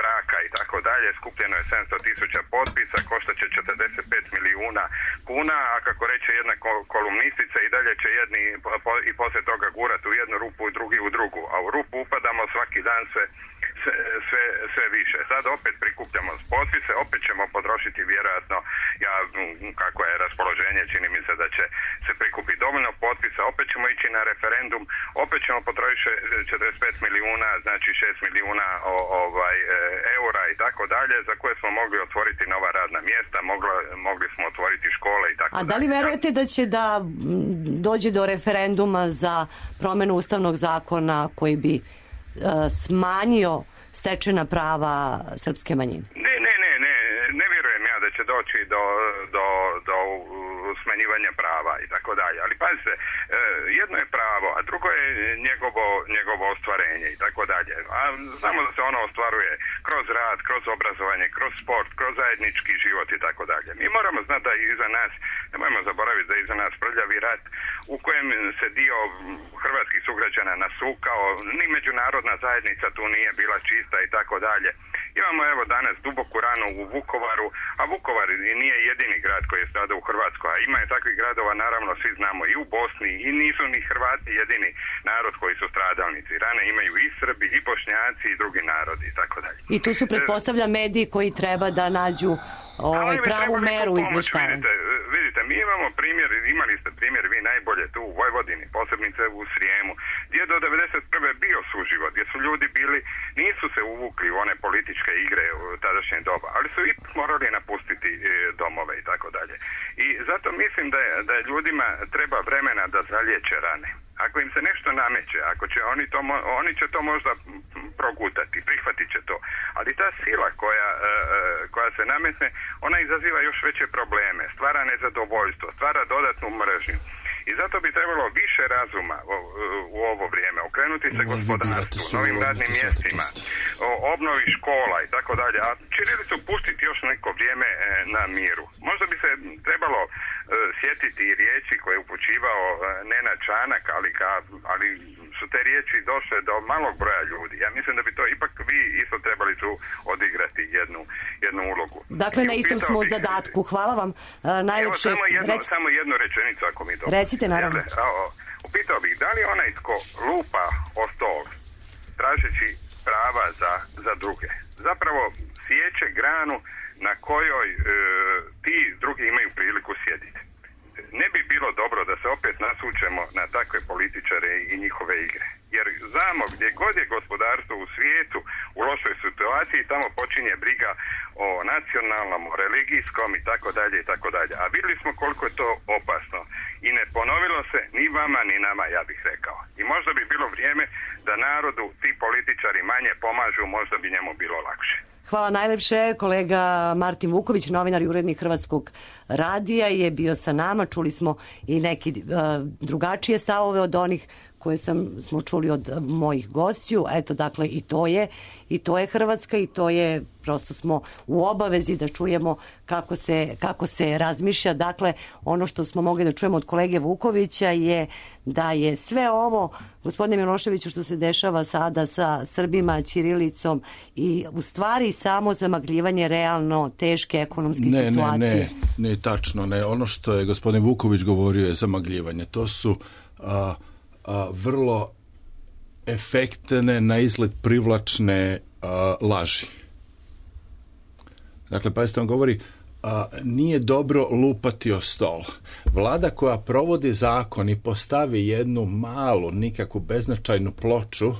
braka i tako dalje. Skupljeno je sedamsto tisuća potpisa, košta će četrdeset pet milijuna kuna, a kako reče jedna kolumnistica, i dalje će jedni po, i poslije toga gurati u jednu rupu i drugi u drugu, a u rupu upadamo svaki dan sve Sve, sve, sve više. Sad opet prikupljamo potpise, opet ćemo potrošiti vjerojatno, ja, kako je raspoloženje, čini mi se da će se prikupiti dovoljno potpisa, opet ćemo ići na referendum, opet ćemo potrošiti četrdeset pet milijuna, znači šest milijuna o, ovaj, eura i tako dalje, za koje smo mogli otvoriti nova radna mjesta, mogli, mogli smo otvoriti škole i tako dalje. A da li verujete da će da dođe do referenduma za promjenu ustavnog zakona koji bi uh, smanjio stečena prava srpske manjine? Ne, ne, ne, ne, ne vjerujem ja da će doći do, do, do smanjivanja prava i tako dalje. Ali pazite, jedno je pravo, a drugo je njegovo, njegovo ostvarenje i tako dalje. A znamo da se ono ostvaruje kroz rad, kroz obrazovanje, kroz sport, kroz zajednički život i tako dalje. Mi moramo znati da iza nas, nemojmo zaboraviti da iza nas prljavi rat u kojem se dio hrvatskih sugrađana nasukao, ni međunarodna zajednica tu nije bila čista i tako dalje. Imamo evo danas duboku ranu u Vukovaru, a Vukovar nije jedini grad koji je stradao u Hrvatskoj, a ima je takvih gradova, naravno svi znamo, i u Bosni, i nisu ni Hrvati jedini narod koji su stradalnici. Rane imaju i Srbi, i Bošnjaci, i drugi narodi i tako dalje. I tu su, pretpostavlja, mediji koji treba da nađu ovaj, pravu meru izveštavanja. Vidite, vidite, mi imamo primjer, imali ste primjer vi najbolje tu u Vojvodini, posebnice u Srijemu, gdje je do devedeset prve bio suživot, gdje su ljudi bili, nisu se uvukli u one političke igre u tadašnje doba, ali su i morali napustiti domove i tako dalje. I zato mislim da je, da je ljudima treba vremena da zaliječe rane. Ako im se nešto nameće, ako će oni to, oni će to možda progutati, prihvatit će to. Ali ta sila koja, koja se nametne, ona izaziva još veće probleme, stvara nezadovoljstvo, stvara dodatnu mržnju. I zato bi trebalo više razuma u, u ovo vrijeme, okrenuti se gospodarstvu, novim radnim mjestima, obnovi škola i tako dalje, a ćirilicu pustiti još neko vrijeme na miru. Možda bi se trebalo uh, sjetiti i riječi koje je upućivao uh, Nenad Čanak, ali, ka, ali su te riječi došle do malog broja ljudi. Ja mislim da bi to ipak vi isto trebali tu odigrati jednu, jednu ulogu. Dakle, na istom smo bi... zadatku. Hvala vam. Uh, najljepše... Evo, samo, jedno, Rec... samo jednu rečenicu, ako mi to... Recite, naravno. Upitao bih, da li onaj tko lupa o stol, tražeći prava za, za druge, zapravo sjeće granu na kojoj e, ti drugi imaju priliku sjediti. Ne bi bilo dobro da se opet nasučemo na takve političare i njihove igre. Jer znamo, gdje god je gospodarstvo u svijetu u lošoj situaciji, tamo počinje briga o nacionalnom, o religijskom i tako dalje i tako dalje. A vidjeli smo koliko je to opasno. I ne ponovilo se ni vama ni nama, ja bih rekao. I možda bi bilo vrijeme da narodu ti političari manje pomažu, možda bi njemu bilo lakše. Hvala najlepše. Kolega Martin Vuković, novinar i urednik Hrvatskog radija, je bio sa nama. Čuli smo i neki uh, drugačije stavove od onih koje sam, smo čuli od mojih gostiju. Eto, dakle, i to je i to je Hrvatska i to je, prosto smo u obavezi da čujemo kako se, kako se razmišlja. Dakle, ono što smo mogli da čujemo od kolege Vukovića je da je sve ovo, gospodine Miloševiću, što se dešava sada sa Srbima, ćirilicom, i u stvari samo zamagljivanje realno teške ekonomske ne, situacije. Ne, ne, ne, tačno ne. Ono što je gospodin Vuković govorio je zamagljivanje. To su a, a, vrlo efektne, na izgled privlačne a, laži. Dakle, pazite, on govori, a, nije dobro lupati o stol. Vlada koja provodi zakon i postavi jednu malu, nikakvu beznačajnu ploču,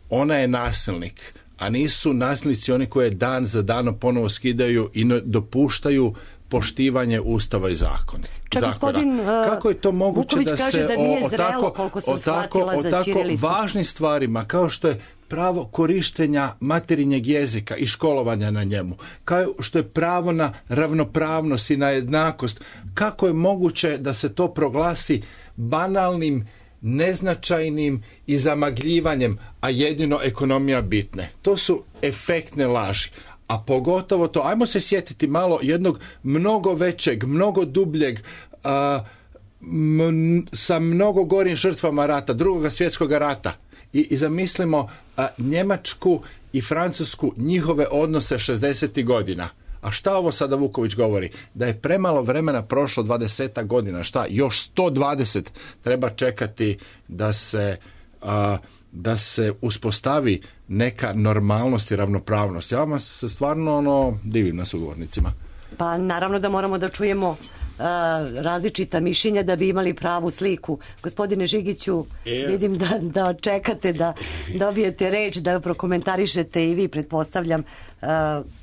ona je nasilnik, a nisu nasilnici oni koje dan za danom ponovo skidaju i dopuštaju poštivanje ustava i zakona. Čak gospodin kako je to moguće Vuković da kaže se da nije o, zrelo, tako, koliko sam o tako, shvatila o za tako ćirilicu. važnim stvarima kao što je pravo korištenja materinjeg jezika i školovanja na njemu, kao što je pravo na ravnopravnost i na jednakost, kako je moguće da se to proglasi banalnim neznačajnim i zamagljivanjem, a jedino ekonomija bitne. To su efektne laži. A pogotovo to, ajmo se sjetiti malo jednog mnogo većeg, mnogo dubljeg, a, m, sa mnogo gorim žrtvama rata, drugog svjetskog rata. I, i zamislimo a, Njemačku i Francusku, njihove odnose šezdesetih godina. A šta ovo sada Vuković govori? Da je premalo vremena prošlo dvadeset godina. Šta? Još sto dvadeset treba čekati da se, a, da se uspostavi neka normalnost i ravnopravnost. Ja vam se stvarno ono, divim na sugovornicima. Pa naravno da moramo da čujemo uh, različita mišljenja da bi imali pravu sliku. Gospodine Žigiću, e... vidim da, da čekate da dobijete reč, da prokomentarišete i vi, pretpostavljam, uh,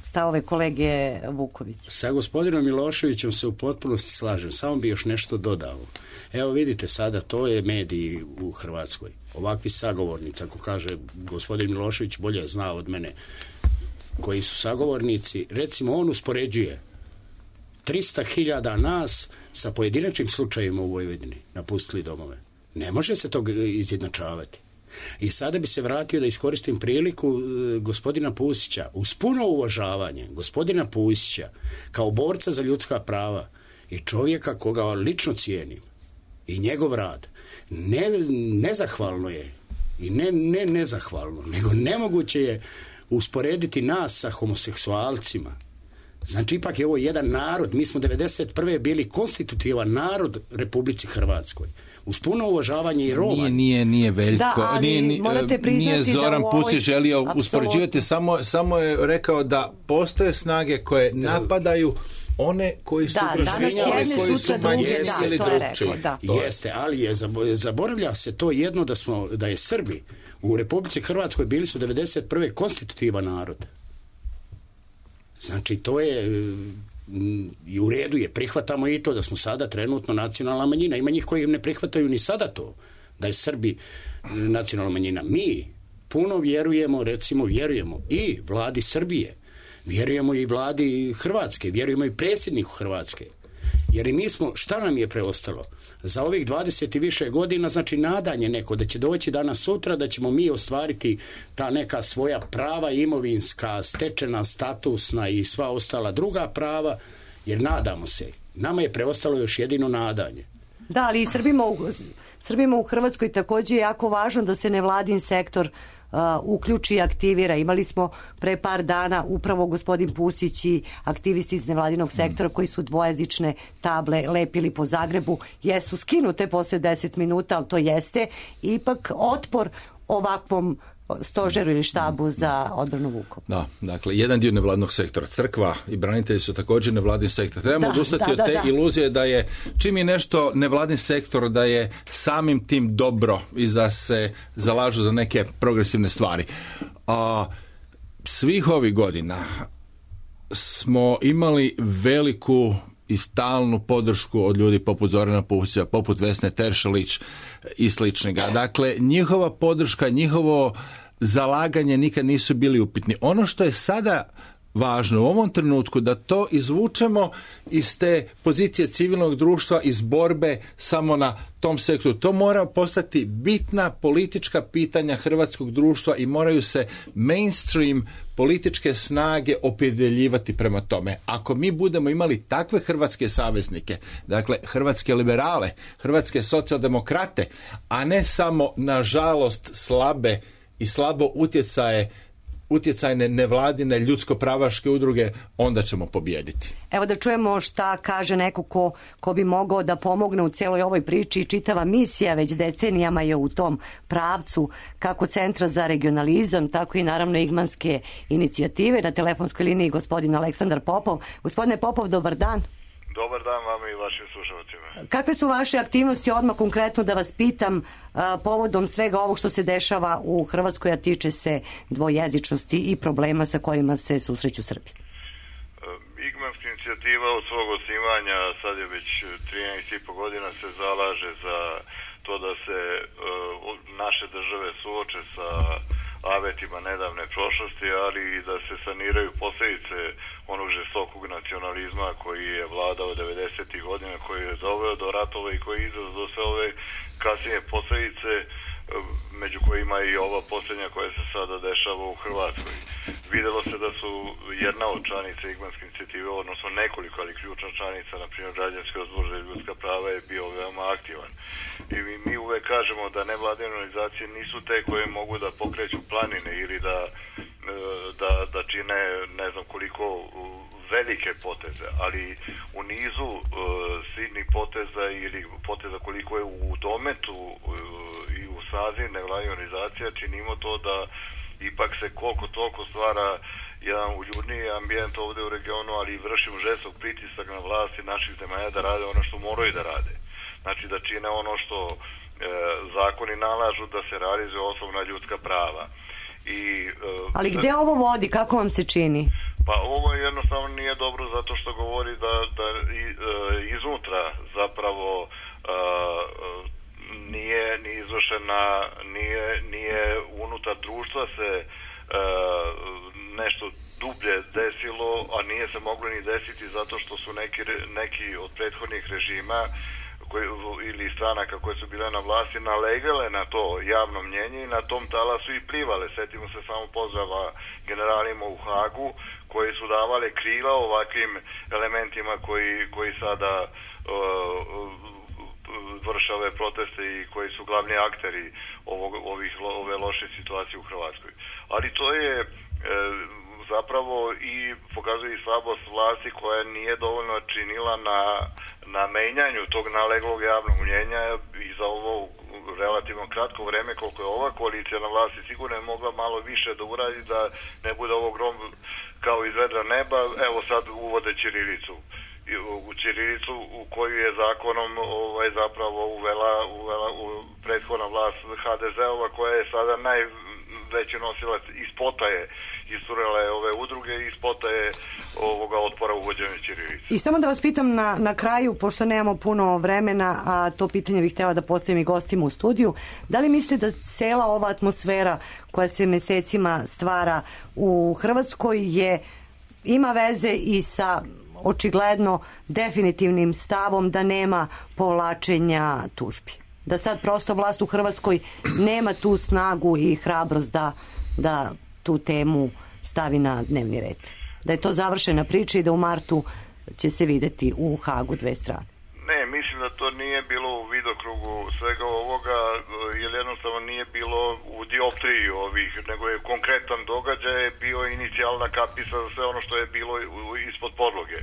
stavove kolege Vukovića. Sa gospodinom Miloševićem se u potpunosti slažem, samo bi još nešto dodao. Evo vidite sada, to je mediji u Hrvatskoj. Ovakvi sagovornici, ako kaže gospodin Milošević, bolje zna od mene koji su sagovornici, recimo on uspoređuje trista hiljada nas sa pojedinačnim slučajima u Vojvodini napustili domove. Ne može se to izjednačavati. I sada bi se vratio da iskoristim priliku gospodina Pusića, uz puno uvažavanje gospodina Pusića kao borca za ljudska prava i čovjeka koga lično cijenim i njegov rad. Ne, nezahvalno je i ne, ne nezahvalno, nego nemoguće je usporediti nas sa homoseksualcima. Znači, ipak je ovo jedan narod. Mi smo devedeset prve bili konstitutivan narod RepubliciHrvatskoj. Uz puno uvažavanje i Roma. Nije, nije, nije Veljko. Da, ali nije, nije, morate priznati nije Zoran da u ovoj... Pusić želio Apsolutno. uspoređivati. Samo, samo je rekao da postoje snage koje napadaju one koji su da, prošvinjali, koji su manjinski drugčiji. Da. Jeste, ali je, zaboravlja se to jedno da, smo, da je Srbi u Republici Hrvatskoj bili su devedeset prve konstitutivan narod. Znači, to je i u redu je, prihvatamo i to da smo sada trenutno nacionalna manjina. Ima njih koji ne prihvataju ni sada to, da je Srbi nacionalna manjina. Mi puno vjerujemo, recimo vjerujemo i vladi Srbije, vjerujemo i vladi Hrvatske, vjerujemo i predsjedniku Hrvatske. Jer i mi smo, šta nam je preostalo? Za ovih dvadeset i više godina, znači nadanje neko da će doći danas sutra, da ćemo mi ostvariti ta neka svoja prava imovinska, stečena, statusna i sva ostala druga prava, jer nadamo se. Nama je preostalo još jedino nadanje. Da, ali i Srbima u, Srbima u Hrvatskoj također je jako važno da se nevladin sektor Uh, uključi i aktivira. Imali smo pre par dana upravo gospodin Pusić i aktivisti iz nevladinog sektora koji su dvojezične table lepili po Zagrebu. Jesu skinute posle deset minuta, ali to jeste ipak otpor ovakvom stožeru ili štabu za odbranu Vukovara. Da, dakle, jedan dio nevladnog sektora, crkva i branitelji su također nevladin sektor. Trebamo da, odustati da, od da, te da. iluzije da je, čim je nešto nevladin sektor, da je samim tim dobro i da se zalažu za neke progresivne stvari. A, svih ovih godina smo imali veliku i stalnu podršku od ljudi poput Zorana Pusića, poput Vesne Teršelić i sličnega. Dakle, njihova podrška, njihovo zalaganje nikad nisu bili upitni. Ono što je sada važno u ovom trenutku da to izvučemo iz te pozicije civilnog društva, iz borbe samo na tom sektoru. To mora postati bitna politička pitanja hrvatskog društva i moraju se mainstream političke snage opredjeljivati prema tome. Ako mi budemo imali takve hrvatske saveznike, dakle hrvatske liberale, hrvatske socijaldemokrate, a ne samo nažalost slabe i slabo utjecaje utjecajne nevladine ljudsko-pravaške udruge, onda ćemo pobijediti. Evo da čujemo šta kaže neko ko, ko bi mogao da pomogne u cijeloj ovoj priči i čitava misija već decenijama je u tom pravcu kako Centra za regionalizam, tako i naravno Igmanske inicijative. Na telefonskoj liniji gospodin Aleksandar Popov. Gospodine Popov, dobar dan. Dobar dan vam i vašim slušalcima. Kakve su vaše aktivnosti, odmah konkretno da vas pitam, a, povodom svega ovog što se dešava u Hrvatskoj, a tiče se dvojezičnosti i problema sa kojima se susreću Srbi? Igmanska inicijativa od svog osnivanja, sad je već trinaest i po godina, se zalaže za to da se uh, naše države suoče sa avetima nedavne prošlosti, ali i da se saniraju posljedice onog žestokog nacionalizma koji je vladao devedesetih godina, koji je doveo do ratova i koji je izazvao sve ove kasnije posljedice, među kojima i ova posljednja koja se sada dešava u Hrvatskoj. Videlo se da su jedna od članica Igmanske inicijative, odnosno nekoliko, ali ključna članica, na primjer Građanski odbor za ljudska prava, je bio veoma aktivan. I mi, mi uvek kažemo da nevladine organizacije nisu te koje mogu da pokreću planine ili da, da, da čine ne znam koliko velike poteze, ali u nizu uh, sidnih poteza ili poteza koliko je u dometu uh, i u sazi nevladine organizacija, činimo to da ipak se koliko toliko stvara jedan uljudniji ambijent ovdje u regionu, ali vršimo žestok pritisak na vlasti naših zemalja da rade ono što moraju da rade. Znači da čine ono što e, zakoni nalažu da se realizuje osnovna ljudska prava. I, e, ali gde ovo vodi? Kako vam se čini? Pa ovo jednostavno nije dobro zato što govori da, da i, e, iznutra zapravo e, nije ni izvršena, nije, nije unutar društva se e, nešto dublje desilo, a nije se moglo ni desiti zato što su neki, neki od prethodnih režima koji, ili stranaka koje su bile na vlasti nalegale na to javno mnjenje i na tom talasu i plivale. Sjetimo se samo pozdrava generalima u Hagu koji su davale krila ovakvim elementima koji, koji sada uh, vrše ove proteste i koji su glavni akteri ovog, ovih, ove loše situacije u Hrvatskoj. Ali to je e, zapravo i pokazuje i slabost vlasti koja nije dovoljno činila na, na menjanju tog naleglog javnog mnjenja i za ovo relativno kratko vreme koliko je ova koalicija na vlasti sigurno je mogla malo više da uradi da ne bude ovo grom kao iz vedra neba, evo sad uvode ćirilicu. U ćirilicu u koju je zakonom ovaj, zapravo uvela, uvela u prethodna vlast ha de ze-ova koja je sada najveći nosilac i spota je isturila je ove udruge i spota je ovoga otpora uvođenja ćirilice. I samo da vas pitam na, na kraju, pošto nemamo puno vremena, a to pitanje bih htjela da postavim i gostima u studiju, da li mislite da cela ova atmosfera koja se mesecima stvara u Hrvatskoj je ima veze i sa očigledno definitivnim stavom da nema povlačenja tužbi? Da sad prosto vlast u Hrvatskoj nema tu snagu i hrabrost da, da tu temu stavi na dnevni red? Da je to završena priča i da u martu će se videti u Hagu dve strane? Ne, mislim da to nije bilo u vidokrugu svega ovoga, jer jednostavno nije bilo u dioptriji ovih, nego je konkretan događaj bio inicijalna kapisa za sve ono što je bilo ispod podloge.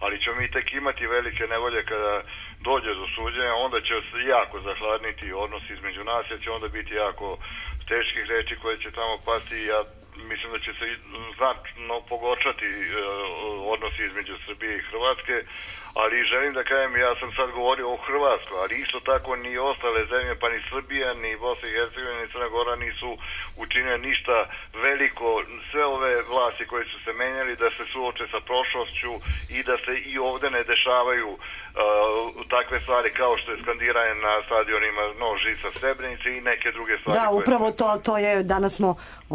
Ali ćemo mi tek imati velike nevolje kada dođe do suđenja, onda će se jako zahladniti odnos između nas, jer će onda biti jako teških reči koje će tamo pasti. Ja mislim da će se znatno pogoršati e, odnosi između Srbije i Hrvatske, ali želim da kažem, ja sam sad govorio o Hrvatskoj, ali isto tako ni ostale zemlje, pa ni Srbija, ni Bosna i Hercegovina, ni Crna Gora nisu učinile ništa veliko. Sve ove vlasti koje su se menjali da se suoče sa prošlošću i da se i ovdje ne dešavaju uh, takve stvari kao što je skandiranje na stadionima No žica Srebrenice i neke druge stvari. Da, upravo to, to je, danas smo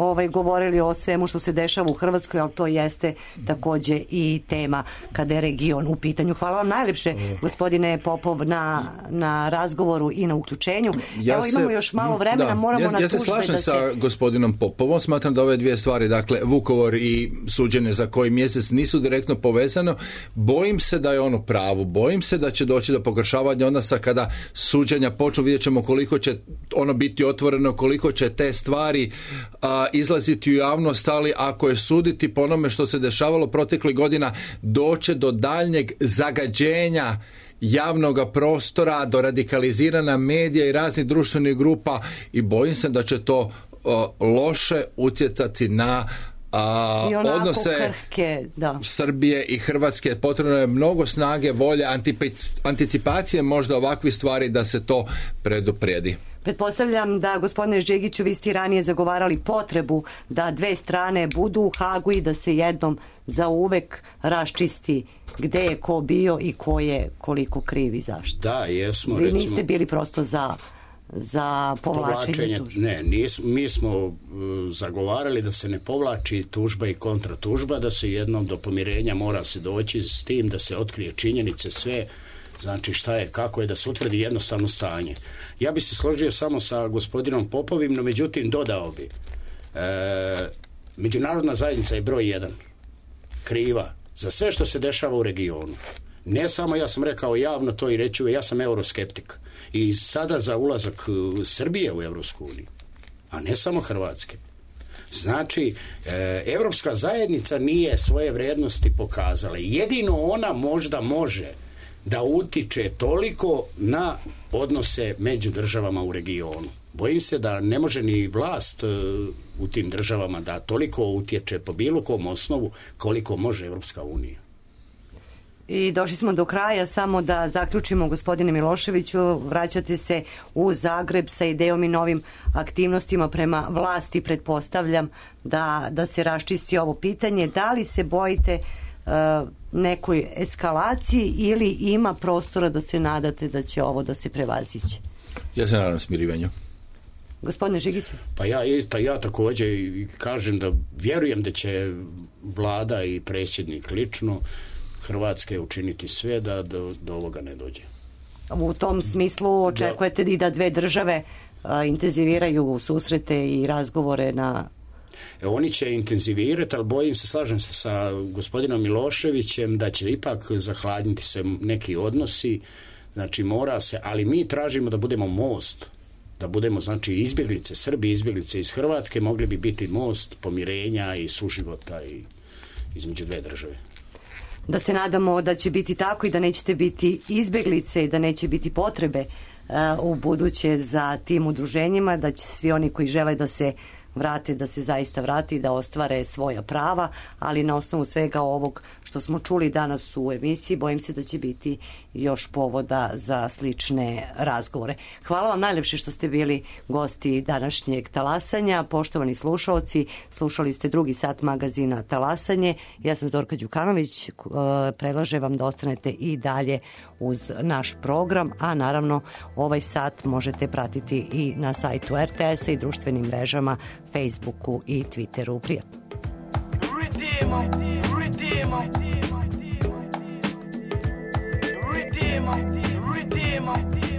ovaj, govorili o svemu što se dešava u Hrvatskoj, ali to jeste takođe i tema kada je region u pitanju. Hvala vam najljepše, gospodine Popov, na, na razgovoru i na uključenju. Ja Evo imamo se, još malo vremena, da, moramo ja, na ja se tužbe slažem da se... sa gospodinom Popovom, smatram da ove dvije stvari, dakle Vukovar i suđenje za koji mjesec nisu direktno povezano. Bojim se da je ono pravo, bojim se da će doći do pogoršavanja odnosa kada suđenja počnu, vidjet ćemo koliko će ono biti otvoreno, koliko će te stvari a, izlaziti u javnost, ali ako je suditi po onome što se dešavalo proteklih godina, doće do daljnjeg zagađenja javnog prostora, do radikalizirana medija i raznih društvenih grupa i bojim se da će to o, loše utjecati na a, odnose krhke, da. Srbije i Hrvatske. Potrebno je mnogo snage, volje, anticipacije možda ovakvih stvari da se to preduprijedi. Pretpostavljam da, gospodine Žegiću, vi ste ranije zagovarali potrebu da dve strane budu u Hagu i da se jednom za uvek raščisti gde je ko bio i ko je koliko kriv i zašto. Da, jesmo. Vi recimo... niste bili prosto za za povlačenje tužbe? Ne, nis, mi smo uh, zagovarali da se ne povlači tužba i kontratužba, da se jednom do pomirenja mora se doći s tim da se otkrije činjenice sve, znači šta je, kako je, da se utvrdi jednostavno stanje. Ja bi se složio samo sa gospodinom Popovim, no međutim dodao bi, e, međunarodna zajednica je broj jedan kriva za sve što se dešava u regionu. Ne samo, ja sam rekao javno to i reću, ja sam euroskeptik i sada za ulazak Srbije u Evropsku uniju, a ne samo Hrvatske. Znači, e, Evropska zajednica nije svoje vrednosti pokazala. Jedino ona možda može da utiče toliko na odnose među državama u regionu. Bojim se da ne može ni vlast e, u tim državama da toliko utječe po bilo kom osnovu koliko može Evropska unija. I došli smo do kraja, samo da zaključimo, gospodine Miloševiću, vraćate se u Zagreb sa idejom i novim aktivnostima prema vlasti, pretpostavljam da, da se raščisti ovo pitanje. Da li se bojite uh, nekoj eskalaciji ili ima prostora da se nadate da će ovo da se prevaziće? Ja se nadam smirivanju. Gospodine Žigiću? Pa ja, ja također kažem da vjerujem da će vlada i predsjednik lično Hrvatske učiniti sve da do, do ovoga ne dođe. U tom smislu očekujete da, i da dve države a, intenziviraju susrete i razgovore na... E, oni će intenzivirati, ali bojim se, slažem se sa gospodinom Miloševićem da će ipak zahladniti se neki odnosi, znači mora se, ali mi tražimo da budemo most, da budemo znači izbjeglice, Srbi izbjeglice iz Hrvatske, mogli bi biti most pomirenja i suživota i između dve države. Da se nadamo da će biti tako i da nećete biti izbjeglice i da neće biti potrebe uh, u buduće za tim udruženjima, da će svi oni koji žele da se vrate, da se zaista vrati i da ostvare svoja prava, ali na osnovu svega ovog što smo čuli danas u emisiji, bojim se da će biti još povoda za slične razgovore. Hvala vam najljepše što ste bili gosti današnjeg Talasanja. Poštovani slušalci, slušali ste drugi sat magazina Talasanje. Ja sam Zorka Đukanović, predlažem vam da ostanete i dalje uz naš program, a naravno ovaj sat možete pratiti i na sajtu er te esa i društvenim mrežama Facebooku i Twitteru. Prijatno. Redeemer, Redeemer, Redeemer, Redeemer.